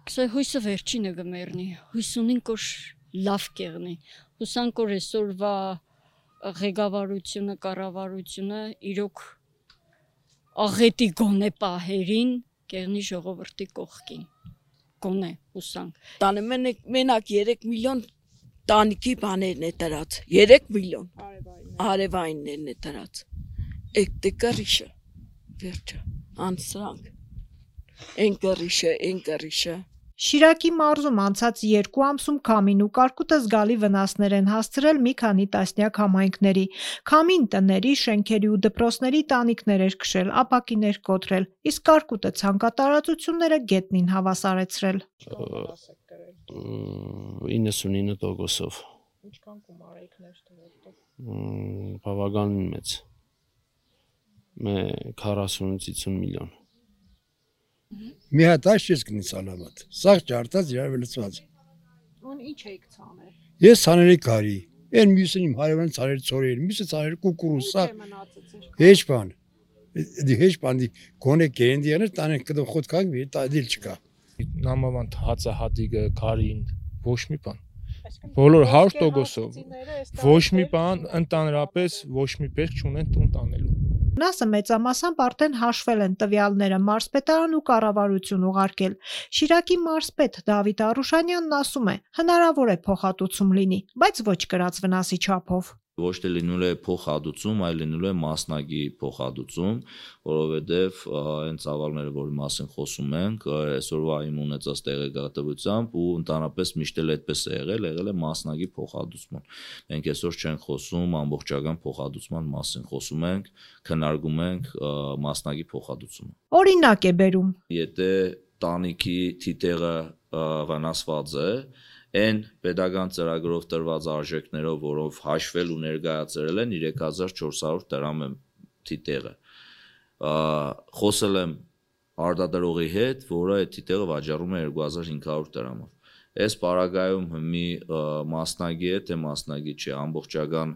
Սա հույսը վերջինը գմերնի, հույս ունենք որ լավ կեղնի, հուսանք որ այսօրվա ղեկավարությունը, կառավարությունը իրոք աղետի գոնե պահերին կեղնի ժողովրդի կողքին, գոնե հուսանք։ Տանը մենակ 3 միլիոն տանիքի բաներն է տրած, 3 միլիոն արևայիններն է տրած, էկտե կռիշը, վերջը, անսրանք, են կռիշը։ Շիրակի մարզում անցած 2 ամսում քամին ու կարկուտը զգալի վնասներ են հասցրել մի քանի տասնյակ համայնքների։ Քամին տների, շենքերի ու դպրոցների տանիքներ էր քշել, ապակիներ կոտրել, իսկ կարկուտը ցանկատարածությունները գետնին հավասարեցրել։ 99%-ով։ Ինչքան գումար եք ներդրել։ Բավականին մեծ։ 40-50 միլիոն։ Մի հատ այս կնից ալամատ, սաղ ճարտած իրավելացված։ Ուն ինչ եք ցանել։ Ես ցաների կարի, են մյուսն իմ հարևան ցաներ ծորեր, մյուսը ցաներ կուկուրուս, սաղ հեչ բան, գոնե գերենդիաներ տանեն կդո խոտքան մի տադիլ չկա։ Նամավանդ հացահատիկը, կարին, ոչ մի բան։ Բոլոր 100%-ով, ոչ մի բան, ընդհանրապես ոչ մի պես չունեն տուն տանելու։ Վնասը մեծամասամբ արդեն հաշվել են տվյալները մարզպետարան ու կառավարություն ուղարկել։ Շիրակի մարզպետ Դավիթ Արուշանյանն ասում է, հնարավոր է փոխհատուցում լինի, բայց ոչ կրած վնասի չափով։ Ոչ թե լինելու է փոխհատուցում, այլ լինելու է մասնագի փոխհատուցում, որովհետև այն ծավալները, որի մասին խոսում ենք, այսօրվա իմ ունեցած տեղեկատվությամբ ու ընդհանրապես միշտ էլ այդպես է եղել է մասնագի փոխհատուցման։ Մենք այսօր չենք խոսում ամբողջական փոխհատուցման մասին, խոսում ենք, քննարկում ենք մասնագի փոխհատուցումը։ Օրինակ է բերում։ Եթե տանիքի թիթեղը վնասված է, այն պետական ծրագրով տրված արժեքներով, որով հաշվել ու ներկայացրել են 3400 դրամ է թիթեղը։ Խոսել եմ արտադրողի հետ, որը այդ թիթեղը վաճառում է 2500 դրամով։ Այս պարագայում մի մասնագի է, թե մասնագի չէ, ամբողջական,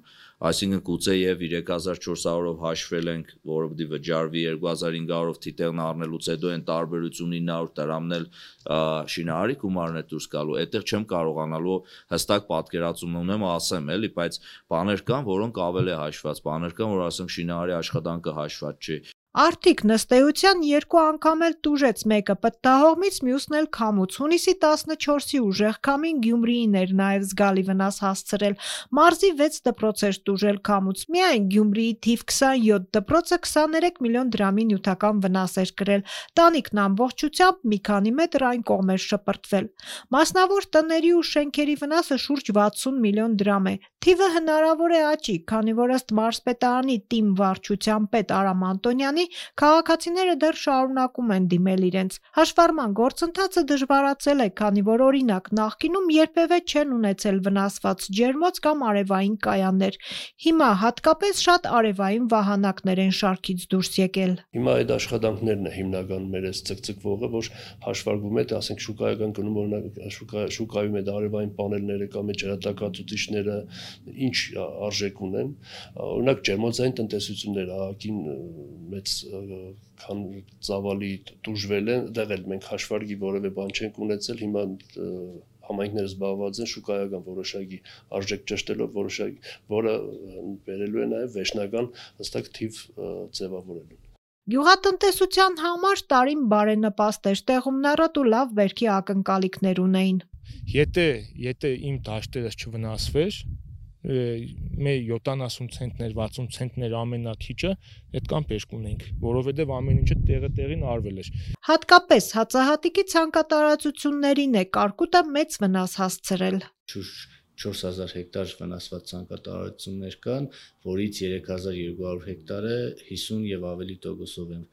այսինքն գուցե եւ 3400-ով հաշվել ենք, որը պիտի վճարվի 2500-ով թիթեղն առնելուց հետո այն տարբերությունը 900 դրամն էլ շինարարի գումարն է դուրս գալու։ Այդտեղ չեմ կարողանալու հստակ պատկերացում ունեմ, ասեմ էլի, բայց բաներ կան, որոնք ավել է հաշված, բաներ կան, որ ասենք շինարարի աշխատանքը հաշված չի։ Արդիկ նստեյության 2 անգամ էլ տուժեց մեկը պտտահողմից, մյուսն էլ քամուց։ Հունիսի 14-ի ուժեղ քամին Գյումրիին էր նաև զգալի վնաս հասցրել։ Մարզի 6 դպրոց էր տուժել քամուց։ Միայն Գյումրիի թիվ 27 դպրոցը 23 միլիոն դրամի նյութական վնաս էր կրել։ Տանիքն ամբողջությամբ մի քանի մետր այն կողմ էր շպրտվել։ Մասնավոր տների ու շենքերի վնասը շուրջ 60 միլիոն դրամ է։ Թիվը հնարավոր է աճի, քանի որ ըստ մարզպետարանի ՏԻՄ վարչության պետ Արամ Անտոնյանի քաղաքացիները դեռ շարունակում են դիմել իրենց։ Հաշվառման գործընթացը դժվարացել է, քանի որ օրինակ նախկինում երբևէ չեն ունեցել վնասված ջերմոց կամ արևային կայաններ։ Հիմա հատկապես շատ արևային վահանակներ են շարքից դուրս եկել։ Հիմա այդ աշխատանքներն է հիմնական մեր այս ցկցկվողը, որ հաշվարկվում է, ասենք շուկայական գնում օրինակ շուկայում այդ արևային պանելները կամ այդ ջրատակածուցիչները ինչ արժեք ունեն, օրինակ ջերմոցային տնտեսություններ ահագին մեծ քան ծավալի տուժվել են, դեղ էլ մենք հաշվարկի որևէ բան չենք ունեցել, հիմա համայնքները զբաղված են շուկայական որոշակի արժեք ճշտելով, որը վերելու է նաև վերջնական հստակ թիվ ձևավորելու։ Գյուղատնտեսության համար տարին բարենպաստ էր, տեղումներդ ու լավ բերքի ակնկալիքներ ունեին։ Եթե իմ դաշտերս չվնասվեր, մեր 70 ցենտներ, 60 ցենտներ ամենակիչը այդքան բերք ունենք, որովհետև ամեն ինչը տեղին արվել էր։ Հատկապես հացահատիկի ցանկատարածություններին է կարկուտը մեծ վնաս հասցրել։ 4000 հեկտար վնասված ցանկատարածություններ կան, որից 3200 հեկտարը 50 եւ ավելի տոկոսով են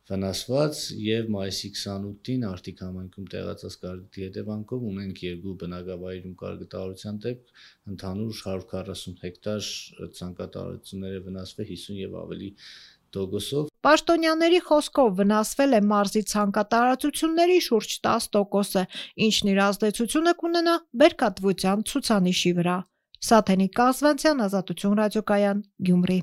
վնասված եւ մայիսի 28-ին Արտիկ համայնքում տեղացած կարկուտի հետևանքով ունենք 2 բնակավայրում կարկտարության դեպք, ընդհանուր 140 հեկտար ցանկատարածությունները վնասվել 50 եւ ավելի տոկոսով։ Պաշտոնյաների խոսքով վնասվել է մարզի ցանկատարածությունների շուրջ 10%-ը, ինչն իր ազդեցությունը կունենա բերքատվության ցուցանիշի վրա։ Սաթենիկ Կազվանցյան, Ազատություն ռադիոկայան, Գյումրի։